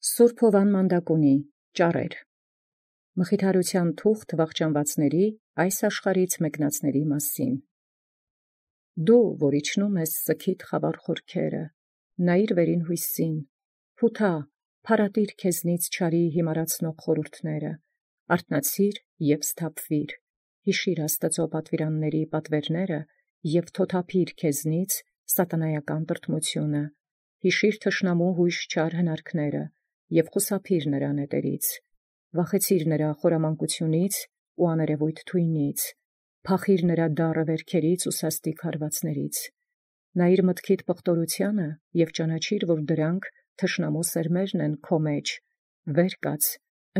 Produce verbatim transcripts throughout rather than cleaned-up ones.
Սուրբ Հովան Մանդակունի ճառեր մխիթարության թուղթ վախճանվածների այս աշխարհից մեկնածների մասին։ Դու, որ իջնում ես սքիդ խավար խորքերը, նայիր վերին հույսին, փութա, փարատիր քեզնից չարի հիմարացնող խորհուրդները, արթնացիր և սթափվիր, հիշիր Աստծո պատվիրանների պատվերները և թոթափիր քեզնից սատանայական տրտմությունը, հիշիր թշնամու հույժ չար հնարքները և խուսափիր նրա նետերից, վախեցիր նրա խորամանկությունից ու աներևոյթ թույնից, փախիր նրա դառը վերքերից ու սաստիկ հարվածներից, նայիր մտքիդ պղտորությանը և ճանաչիր, որ դրանք թշնամու սերմերն են քո մեջ, վեր կաց,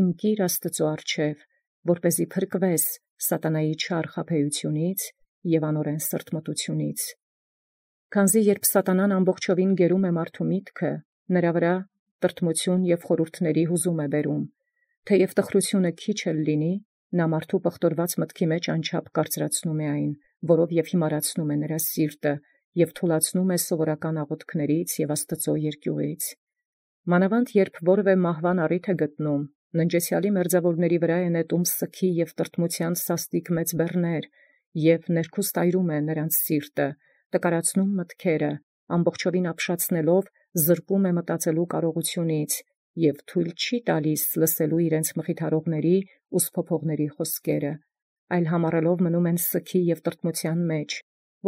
ընկիր Աստծո առջև, որպեսզի փրկվես սատանայի չար խաբեությունից և անօրեն սրտմտությունից։ Քանզի երբ սատանան ամբողջովին գերում է մարդու միտքը, նրա վրա տրտմություն և խորհուրդների հուզում է բերում, թեև տխրությունը քիչ էլ լինի, նա մարդու պղտորված մտքի մեջ անչափ կարծրացնում է այն, որով և հիմարացնում է նրա սիրտը և թուլացնում է սովորական աղոթքներից և Աստծո երկյուղից։ Մանավանդ երբ որևէ մահվան առիթ է գտնում, ննջեցյալի մերձավորների վրա է նետում սգի և տրտմության սաստիկ մեծ բեռներ և ներքուստայրում է նրանց սիրտը, տկարացնում մտքերը, ամբողջովին ապշացնելով զրկում է մտածելու կարողությունից և թույլ չի տալիս լսելու իրենց մխիթարողների ու սփոփողների խոսքերը, այլ համառելով մնում են սգի և տրտմության մեջ,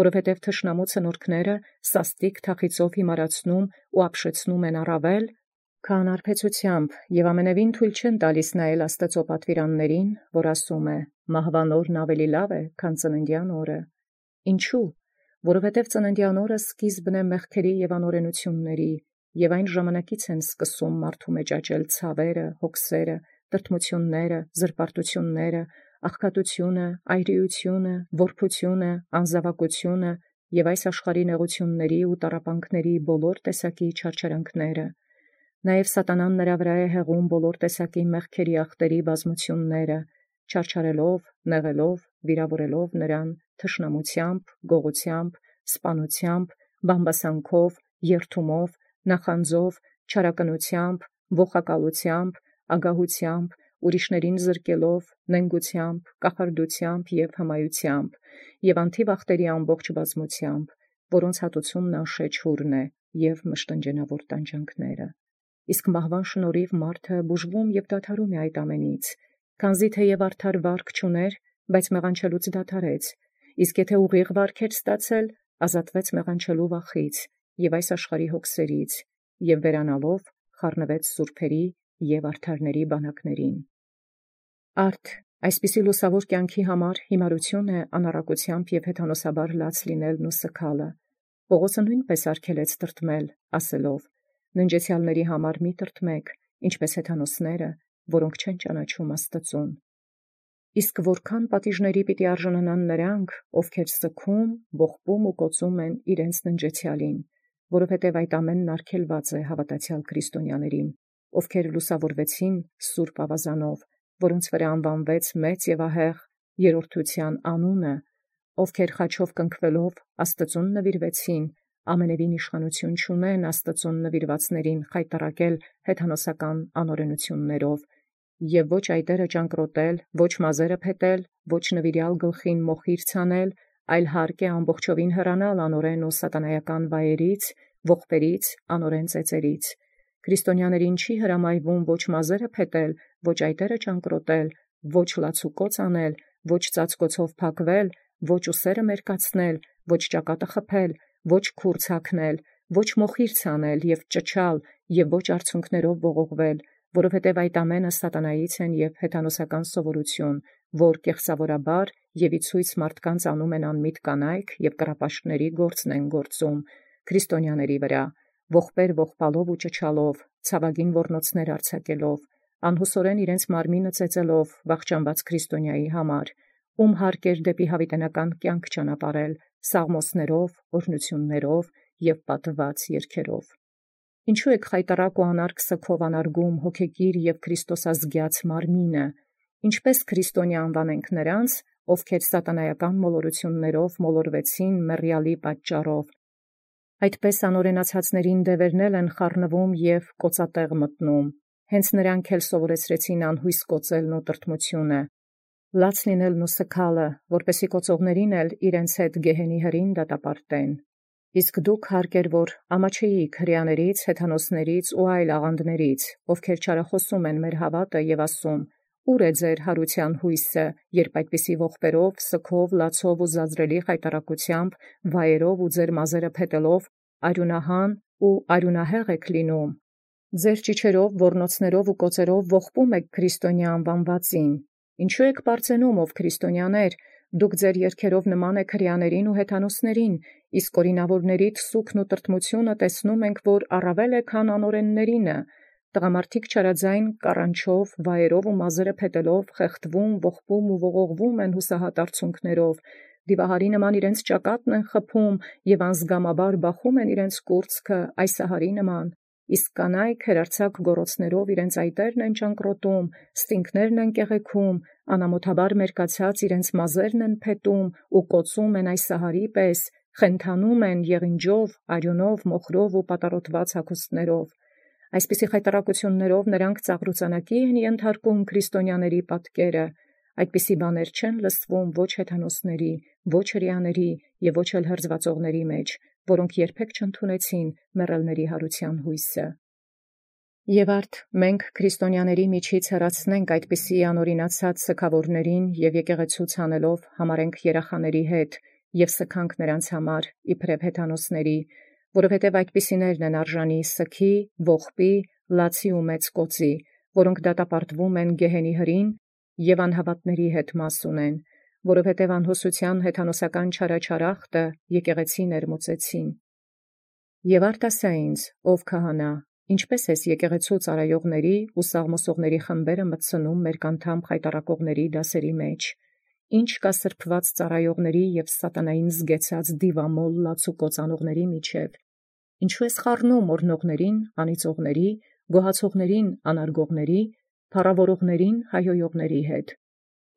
որովհետև թշնամու ցնորքները սաստիկ թախիծով հիմարացնում ու ապշեցնում են առավել, քան արբեցությամբ և ամենևին թույլ չեն տալիս նայել Աստծո պատվիրաններին, որ ասում է. «Մահվան օրն ավելի լավ է, քան ծննդյան օրը»։ Ինչու՞։ Որովհետև ծննդյան օրը սկիզբն է մեղքերի և անօրենությունների, և այն ժամանակից են սկսում մարդու մեջ աճել ցավերը, հոգսերը, տրտմությունները, զրպարտությունները, աղքատությունը, այրիությունը, որբությունը, անզավակությունը և այս աշխարհի նեղությունների ու տառապանքների բոլոր տեսակի չարչարանքները։ Նաև սատանան նրա վրա է հեղում բոլոր տեսակի մեղքերի ախտերի բազմությունները, չարչարելով, նեղելով, վիրավորելով նրան թշնամությամբ, գողությամբ, սպանությամբ, բամբասանքով, երդումով, նախանձով, չարակնությամբ, ոխակալությամբ, ագահությամբ, ուրիշներին զրկելով, նենգությամբ, կախարդությամբ և հմայությամբ, և անթիվ ախտերի ամբողջ բազմությամբ, որոնց հատուցումն անշեջ է և մշտնջենավոր տանջանքները։ Իսկ մահվան շնորհիվ մարդը բուժվում և դադարում է այդ ամենից, քանզի թեև արդար վարք չուներ, բայց մեղանչելուց դադարեց, իսկ եթե ուղիղ վարք էր ստացել, ազատվեց մեղանչելու վախից և այս աշխարհի հոգսերից, և վերանալով խառնվեց սուրբերի և արդարների բանակներին։ Արդ այսպիսի լուսավոր կյանքի համար հիմարություն է անառակությամբ և հեթանոսաբար լաց լինելն ու սգալը։ Պողոսը նույնպես արգելեց տրտմել, ասելով. «Ննջեցյալների համար մի տրտմեք, ինչպես հեթանոսները, որոնք չեն ճանաչում Աստծուն»։ Իսկ որքան պատիժների պիտի արժանանան նրանք, ովքեր սգում, ողբում ու կոծում են իրենց ննջեցյալին, որովհետև այդ ամենն արգելված է հավատացյալ քրիստոնյաներին, ովքեր լուսավորվեցին սուրբ ավազանով, որոնց վրա անվանվեց մեծ և ահեղ երրորդության անունը, ովքեր խաչով կնքվելով Աստծուն նվիրվեցին, ամենևին իշխանություն չունեն Աստծուն նվիրվածներին խայտառակել հեթանոսական անօրենություններով, և ոչ այտերը ճանկռոտել, ոչ մազերը փետել, ոչ նվիրյալ գլխին մոխիր ցանել, այլ հարկ է ամբողջովին հեռանալ անօրեն ու սատանայական վայրից, ողբերից, անօրեն ծեծերից։ Քրիստոնյաներին չի հրամայվում ոչ մազերը փետել, ոչ այտերը ճանկռոտել, ոչ լացուկոծ անել, ոչ ծածկոցով փակվել, ոչ ուսերը մերկացնել, ոչ ճակատը խփել, ոչ քուրձ հագնել, ոչ մոխիր ցանել և ճչալ և ոչ արցունքներով ողողվել, որովհետև այդ ամենը սատանայից են և հեթանոսական սովորություն, որ կեղծավորաբար և ի ցույց մարդկանց անում են անմիտ կանայք և կռապաշտների գործն են գործում քրիստոնյաների վրա, ողբեր ողբալով ու ճչալով, ցավագին ոռնոցներ արձակելով, անհուսորեն իրենց մարմինը ծեծելով վախճանված քրիստոնյայի համար, ում հարկ էր դեպի հավիտենական կյանք ճանապարհել սաղմոսներով, օրհնություններով և պատված երգերով։ Ինչու եք խայտառակ ու անարգ սգով անարգում հոգեկիր և քրիստոսազգյաց մարմինը, ինչպես քրիստոնյա անվանենք նրանց, ովքեր սատանայական մոլորություններով մոլորվեցին մեռյալի պատճառով, այդպես անօրենացածներին դևերնել են խառնվում և կոծատեղ մտնում, հենց նրանք էլ սովորեցրեցին անհույս կոծելն ու տրտմությունը, լաց լինելն ու սգալը, որպեսի կոծողներին էլ իրենց հետ գեհենի հրին դատապարտեն։ Իսկ դուք հարկեր որ ամաչեիք հրեաներից, հեթանոսներից ու այլ աղանդներից, ովքեր չարախոսում են մեր հավատը եւ ասում. «Ուր է ձեր հարության հույսը, երբ այդպիսի ողբերով, սգով, լացով ու զազրելի խայտարակությամբ, վայերով ու ձեր մազերը փետելով, արյունահան ու արյունահեղ եք լինում։ Ձեր ճիչերով, ոռնոցներով ու կոծերով ողբում եք քրիստոնյա անվանվածին։ Ինչու եք պարծենում, ով քրիստոնյաներ, դուք ձեր երգերով նման եք հրեաներին ու հեթանոսներին, իսկ օրինավորներիդ սուգն ու տրտմությունը տեսնում ենք, որ առավել է, քան անօրեններինը։ Տղամարդիկ չարաձայն կառանչով, վայերով ու մազերը փետելով, խեղդվում, ողբում ու ողողվում են հուսահատ արցունքներով, դիվահարի նման իրենց ճակատն են խփում եւ անզգամաբար բախում են իրենց կուրծքը այսահարի նման, իսկ կանայք հերարցակ գոռոցներով իրենց այտերն են ճանկռոտում, ստինքներն են կեղեքում, անամոթաբար մերկացած իրենց մազերն են փետում ու կոծում են այսահարի պես, խենթանում են եղինջով, արյունով, մոխրով ու պատառոտված հագուստներով։ Այսպիսի խայտառակություններով նրանք ծաղրուծանակի են ենթարկում քրիստոնյաների պատկերը, այդպիսի բաներ չեն լսվում ոչ հեթանոսների, ոչ հրեաների եւ ոչ էլ հրձվածողների մեջ, որոնք երբեք չընդունեցին մեռելների հարության հույսը։ Եվ արդ մենք քրիստոնյաների միջից հեռացնենք այդպիսի անօրինացած սգավորներին եւ եկեղեցուց հանելով համարենք երախաների հետ եւ սգանք նրանց համար իբրև հեթանոսների, որովհետև այդպիսիներն են արժանի սգի, ողբի, լացի ու մեծ կոծի, որոնք դատապարտվում են գեհենի հրին եւ անհավատների հետ մաս ունեն, որովհետև անհուսության հեթանոսական չարաչարախտը եկեղեցի ներմուծեցին։ Եւ արդ ասա ինձ, ով քահանա, ինչպէս ես եկեղեցու ծառայողների ու սաղմոսողների խմբերը մտցնում մեր կանթամ խայտառակողների դասերի մեջ, ինչ կա սրբված ծառայողների եւ սատանային զգեցած դիվամոլ լացու կոծանողների միջև, ինչու ես խառնում օրհնողներին, անիծողների, գոհացողներին, անարգողների, փառավորողներին, հայհոյողների հետ։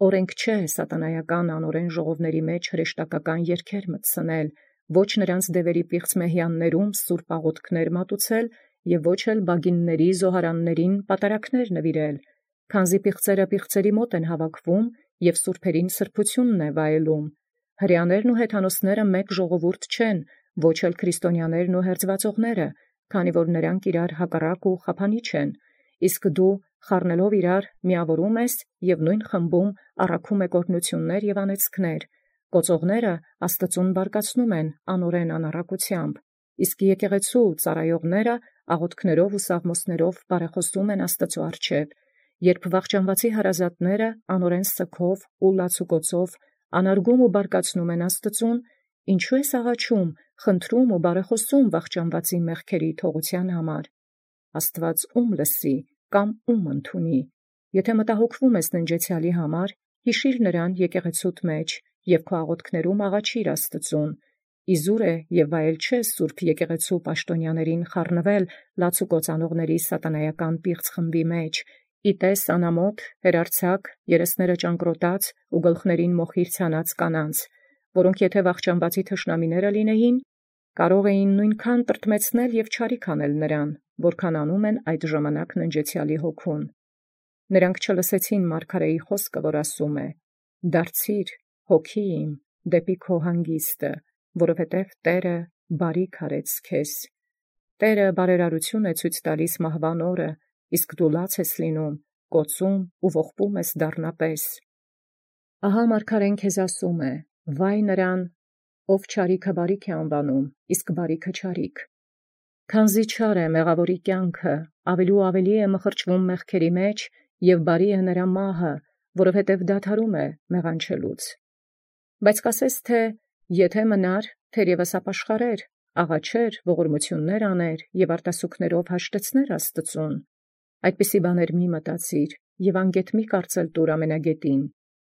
Օրենք չէ սատանայական անօրեն ժողովների մեջ հրեշտակական երգեր մտցնել, ոչ նրանց դևերի պիղծ մեհյաններում սուրբ աղոթքներ մատուցել եւ ոչ էլ բագինների զոհարաններին պատարակներ նվիրել, քանզի պիղծերը պիղծերի մոտ են հավաքվում եւ սուրբերին սրբությունն է վայելում։ Հրեաներն ու հեթանոսները մեկ ժողովուրդ չեն, ոչ էլ քրիստոնյաներն ու հերձվածողները, քանի որ նրանք իրար հակառակ ու խափանիչ են, իսկ դու խառնելով իրար միավորում ես եւ նույն խմբում առաքում եք օրհնություններ եւ անեծքներ, կոծողները աստծուն բարկացնում են անօրեն անառակությամբ, իսկ եկեղեցու ծառայողները աղոթքներով ու սաղմոսներով բարեխոսում են Աստծու առջև, երբ վախճանվածի հարազատները անօրեն սգով ու լացուկոցով անարգում ու բարկացնում են Աստծուն, ինչու ես աղաչում, խնդրում ու բարեխոսում վախճանվածի մեղքերի թողության համար։ Աստված ում լսի կամ ում ընդունի, եթե մտահոգվում ես ննջեցյալի համար, հիշիր նրան եկեղեցուդ մեջ եւ քո աղոթքներում աղաչիր Աստծուն։ Իզուր է եւ վայել չէ սուրբ եկեղեցու պաշտոնյաներին խառնվել լացուկոծանողների սատանայական պիղծ խմբի մեջ, իտես անամոթ, հերարցակ, երեսները ճանկռոտած ու գլխներին մոխիր ցանած կանանց, որոնք եթե վախճանվածի թշնամիները լինեին, կարող էին նույնքան տրտմեցնել եւ չարիք անել նրան, որքան անում են այդ ժամանակ ննջեցյալի հոգուն։ Նրանք չլսեցին մարգարեի խոսքը, որ ասում է. «Դարձիր, հոգի իմ, դեպի քո հանգիստը, որովհետև Տէրը բարիք արեց քեզ»։ Տէրը բարերարություն է ցույց տալիս մահվան օրը, իսկ դու լաց ես լինում, կոծում ու ողբում ես դառնապես։ Ահա մարգարեն քեզ ասում է. վայ նրան, ով չարիքը բարիք է անվանում, իսկ բարիքը չարիք։ Քանզի չար է մեղավորի կյանքը, ավելի ու ավելի է մխրճվում մեղքերի մեջ, եւ բարի է նրա մահը, որովհետև դադարում է մեղանչելուց։ Բայց կասես թե, եթե մնար, թերևս ապաշխարեր, աղաչեր, ողորմություններ աներ եւ արտասուքներով հաշտեցներ Աստծուն։ Այդպիսի բաներ մի մտածիր եւ անգետ մի կարծել տուր ամենագետին,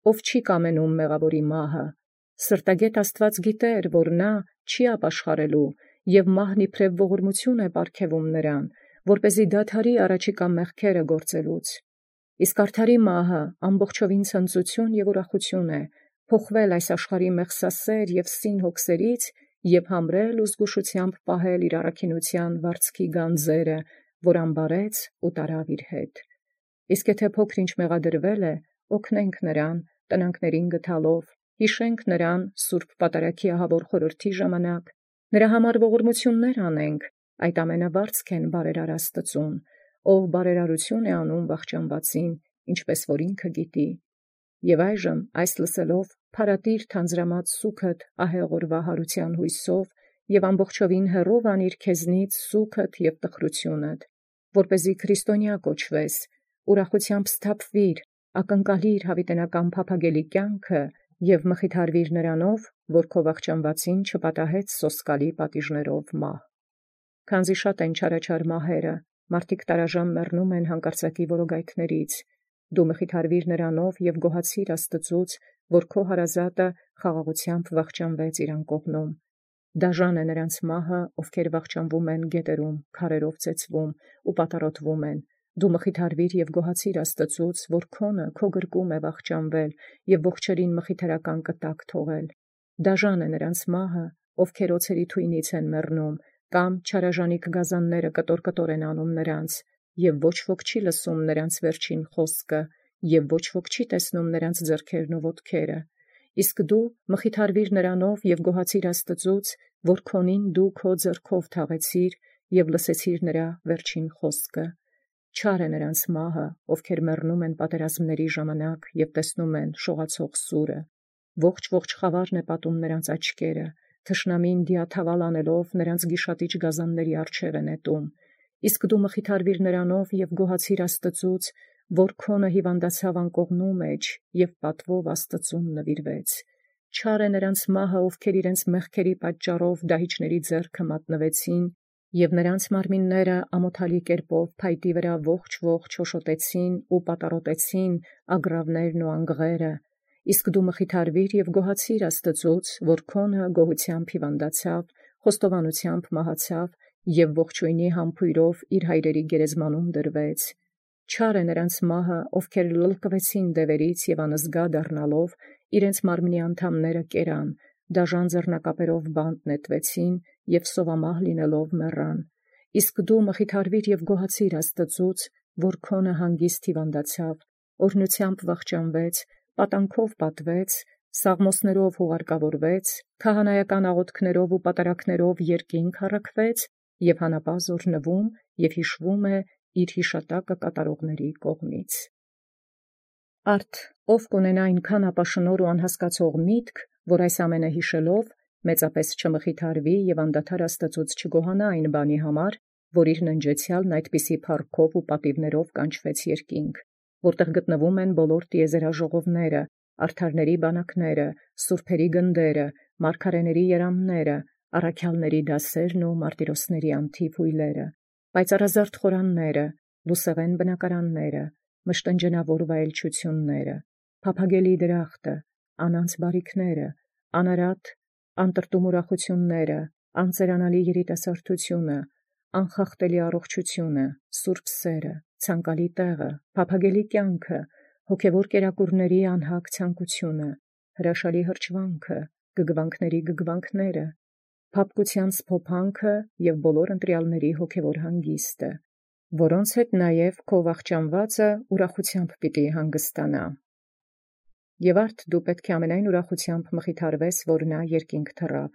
ով չի կամենում մեղավորի մահը։ Սրտագետ Աստված գիտեր, որ նա չի ապաշխարելու եւ մահն իբրև ողորմություն է պարգևում նրան, որպեսզի դադարի առաջիկա մեղքերը գործելուց։ Իսկ արդարի մահը ամբողջովին ցնծություն եւ ուրախություն է, փոխվել այս աշխարհի մեղսասեր եւ սին հոգսերից եւ համրել ու զգուշությամբ պահել իր առաքինության վարձքի գանձերը, որ ամբարեց ու տարավ իր հետ։ Իսկ եթե փոքր ինչ մեղադրվել է, օգնենք նրան, տնանքներին գտալով, հիշենք նրան սուրբ պատարագի ահավոր խորհրդի ժամանակ, նրա համար ողորմություններ անենք, այդ ամենը վարձքեն բարերար Աստծուն, ով բարերարություն է անում վախճանվածին, ինչպես որ ինքը գիտի։ Եւ այժմ այս լսելով փարատիր թանձրամած սուքդ ահեղորվա հարության հույսով եւ ամբողջովին հեռով անիր քեզնից սուքդ եւ տխրութիւնդ, որպեսզի քրիստոնյա կոչվես, ուրախութեամբ սթափվիր, ակնկալիր յաւիտենական փափագելի կյանքը եւ մխիթարվիր նրանով, որ քո վախճանվածին չպատահեց սոսկալի պատիժներով մահ։ Քանզի շատ են չարաչար մահերը, մարդիկ տարաժամ մեռնում են հանկարծակի որոգայթներից, դու մխիթարվիր նրանով եւ գոհացիր Աստծուց, որ քո հարազատը խաղաղութեամբ վախճանվեց իրան կողմում։ Դաժան է նրանց մահը, ովքեր վախճանվում են գետերում, քարերով ծեծվում ու պատառոտվում են։ Դու մխիթարվիր եւ գոհացիր Աստծուց, որ քոնը քո գրկում է վախճանվել եւ ողջերին մխիթարական կտակ թողել։ Դաժան է նրանց մահը, ովքեր օցերի թույնից են մեռնում, կամ չարաժանիկ գազանները կտոր-կտոր են անում նրանց, եւ ոչ ոք չի լսում նրանց վերջին խոսքը, եւ ոչ ոք չի տեսնում նրանց ձեռքերն ու ոտքերը։ Իսկ դու մխիթարվիր նրանով եւ գոհացիր Աստծուց, որ քոնին դու քո ձեռքով թաղեցիր եւ լսեցիր նրա վերջին խոսքը։ Չար է նրանց մահը, ովքեր մեռնում են պատերազմների ժամանակ եւ տեսնում են շողացող սուրը։ Ողջ-ողջ խավարն է պատում նրանց աչքերը, թշնամին դիաթավալ անելով նրանց գիշատիչ գազանների առջև է նետում։ Իսկ դու մխիթարվիր նրանով եւ գոհացիր Աստծուց, որ քոնը հիվանդացավ անկողնու մեջ եւ պատվով Աստծուն նվիրվեց։ Չար է նրանց մահը, ովքեր իրենց մեղքերի պատճառով դահիճների ձեռքը մատնվեցին եւ նրանց մարմինները ամոթալի կերպով փայտի վրա ողջ-ողջ հոշոտեցին ու պատառոտեցին ագռավներն ու անգղերը։ Իսկ դու մխիթարվիր եւ գոհացիր Աստծուց, որ քոնը գոհությամբ հիվանդացավ, խոստովանությամբ մահացավ եւ ողջույնի համբույրով իր հայրերի գերեզմանում դրվեց։ Չար է նրանց մահը, ովքեր լլկվեցին դևերից եւ անզգա դառնալով իրենց մարմնի անդամները կերան, դաժան ձեռնակապերով բանտ նետվեցին եւ սովամահ լինելով մեռան։ Իսկ դու մխիթարվիր եւ գոհացիր Աստծուց, որ քոնը հանգիստ հիվանդացավ, օրհնությամբ վախճանվեց, պատանքով պատվեց, սաղմոսներով հուղարկավորվեց, քահանայական աղոթքներով ու պատարակներով երկինք առաքվեց եւ հանապազորնվում եւ հիշվում է իր հիշատակը կատարողների կողմից։ Արդ ով կունենա այնքան ապաշնոր ու անհասկացող միտք, որ այս ամենը հիշելով մեծապես չմխիթարվի եւ անդադար Աստծուց չգոհանա այն բանի համար, որ իր ննջեցյալն այդպիսի փառքով ու պատիվներով կանչվեց երկինք, որտեղ գտնվում են բոլոր տիեզերաժողովները, արդարների բանակները, սուրբերի գնդերը, մարգարեների երամները, առաքյալների դասերն ու մարտիրոսների անթիվ հույլերը, պայծառազարդ խորանները, լուսեղեն բնակարանները, մշտնջենավոր վայելչությունները, փափագելի դրախտը, անանց բարիքները, անարատ անտրտում ուրախությունները, անծերանալի երիտասարդությունը, անխախտելի առողջությունը, սուրբ սերը, ցանկալի տեղը, փափագելի կյանքը, հոգևոր կերակուրների անհագ ցանկությունը, հրաշալի հրճվանքը, գգվանքների գգվանքները, փափկության սփոփանքը եւ բոլոր ընտրյալների հոգևոր հանգիստը, որոնց հետ նաեւ քո վախճանվածը ուրախությամբ պիտի հանգստանա։ Եւ արդ դու պետք է ամենայն ուրախությամբ մխիթարվես, որ նա երկինք թռավ,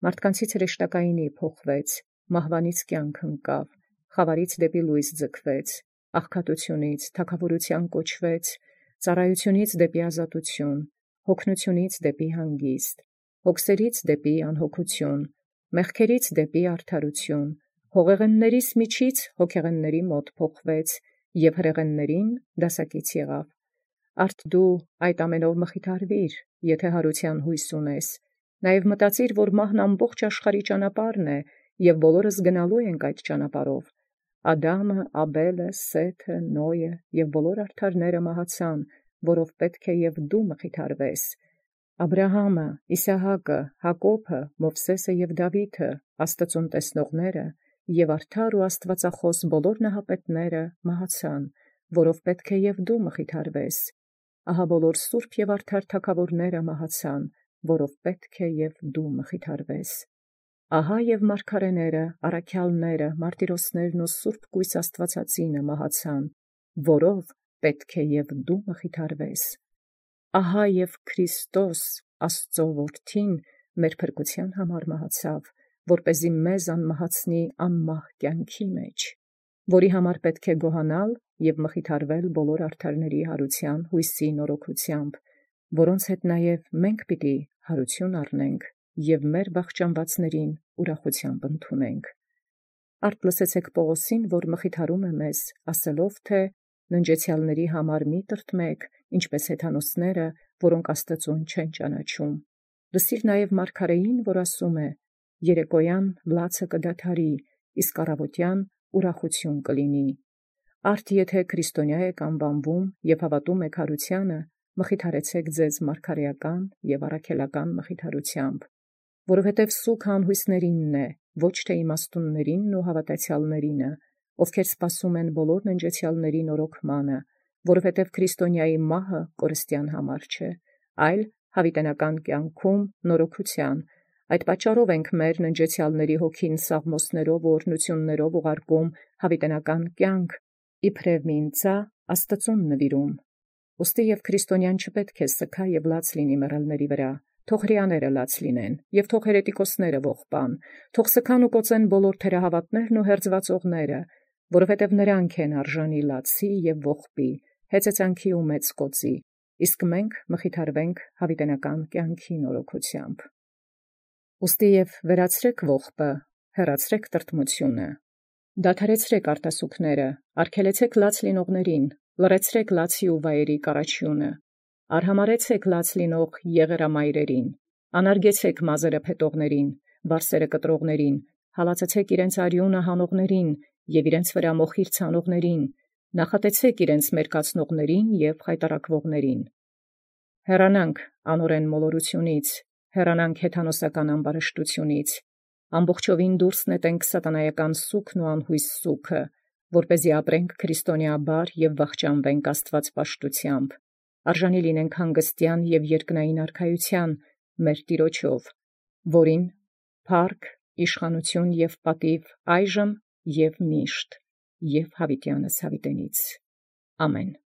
մարդկանցից հրեշտակայինի փոխվեց, մահվանից կյանք ընկավ, խավարից դեպի լույս ձգվեց, աղքատությունից թագավորության կոչվեց, ծառայությունից դեպի ազատություն, հոգնությունից դեպի հանգիստ, հոգսերից դեպի անհոգություն, մեղքերից դեպի արդարություն, հողեղեններիս միջից հոգեղենների մոտ փոխվեց եւ հրեղեններին դասակից եղավ։ Արդ դու այդ ամենով մխիթարվիր, եթե հարության հույս ունես, նաեւ մտածիր, որ մահն ամբողջ աշխարհի ճանապարհն է եւ բոլորս գնալու ենք այդ ճանապարհով։ Ադամը, Աբելը, Սեթը, Նոյը եւ բոլոր արդարները մահացան, որով պետք է եւ դու մխիթարվես։ Աբրահամը, Իսահակը, Հակոբը, Մովսեսը եւ Դավիթը, Աստծուն տեսնողները եւ արդար ու աստվածախոս բոլոր նահապետները մահացան, որով պետք է եւ դու մխիթարվես։ Ահա բոլոր սուրբ եւ արդար թագավորները մահացան, որով պետք է եւ դու մխիթարվես։ Ահա և մարգարեները, առաքյալները, մարտիրոսներն ու սուրբ կույս Աստուածածինը մահացան, որով պետք է և դու մխիթարվես։ Ահա և Քրիստոս Աստուծոյ որդին մեր փրկութեան համար մահացավ, որպեսզի մեզ անմահացնի անմահ կյանքի մեջ, որի համար պետք է գոհանալ և մխիթարվել բոլոր արդարների յարութեան յույսի նորոգութեամբ, որոնց հետ նաև մենք պիտի յարութիւն առնենք և մեր վախճանվածներին ուրախութեամբ ընդունենք։ Արդ լսեցէք Պաւղոսին, որ մխիթարում է մեզ, ասելով թէ ննջեցեալսն համար մի տրտմեք, ինչպէս հեթանոսները, որոնք Աստուծոյ չեն ճանաչում։ Լսիր նաև մարգարէին, որ ասում է. «Երեկոյան լացը կդադարի, իսկ առավոտյան ուրախութիւն կլինի»։ Արդ եթէ քրիստոնյա եք անվանվում և հաւատում եք յարութեանը, մխիթարեցէք ձեզ մարգարէական և առաքելական մխիթարութեամբ, որովհետև սուգը անհույսներինն է, ոչ թէ իմաստուններինն ու հաւատացեալսն, ովքեր սպասում են բոլոր ննջեցեալսն նորոգմանը, որովհետև քրիստոնյայի մահը կորստեան համար չէ, այլ յաւիտենական կյանքում նորոգութեան։ Այդ պատճառով ենք մեր ննջեցեալսն հոգին սաղմոսիւք ու օրհնութիւնք ուղարկում յաւիտենական կյանք, իբրև մի ընծայ Աստուծոյ նուիրում։ Ուստի և քրիստոնեան չպետք է սգայ և լաց լինի մեռելոցն վրա, թող հրեաները լաց լինեն, և թող հերետիկոսները ողբան, թող սգան ու կոծեն բոլոր թերահաւատներն ու հերձուածովները, որովհետև նոցանք են արժանի լացի և ողբի, հեծեծանքի ու մեծ կոծի, իսկ մենք մխիթարվենք յաւիտենական կյանքի նորոգութեամբ։ Ուստի և վերացրէք ողբը, հեռացրէք տրտմութիւնը, դադարեցրէք արտասուքները, արգելեցէք լաց լինողացն, լռեցրէք լացի ու վայերի կառաչիւնը, արհամարհեցէք լաց լինող եղերամայրերին, անարգեցէք մազերը փետողացն, վարսերը կտրողացն, հալածեցէք իրենց արիւնը հանողացն և իրենց վրա մոխիր ցանողացն, նախատեցէք իրենց մերկացնողացն և խայտառակուողացն։ Հեռանանք անօրէն մոլորութիւնից, հեռանանք հեթանոսական ամբարշտութիւնից, ամբողջովին դուրս նետենք սատանայական սուգն ու անհույս սուգը, որպեսզի ապրենք քրիստոնեաբար և վախճանվենք աստուածպաշտութեամբ, արժանի լինենք հանգստեան և երկնային արքայութեան մեր Տեառնոյ, որին փառք, իշխանութիւն և պատիւ այժմ և միշտ և յաւիտեանս յաւիտենից. ամեն։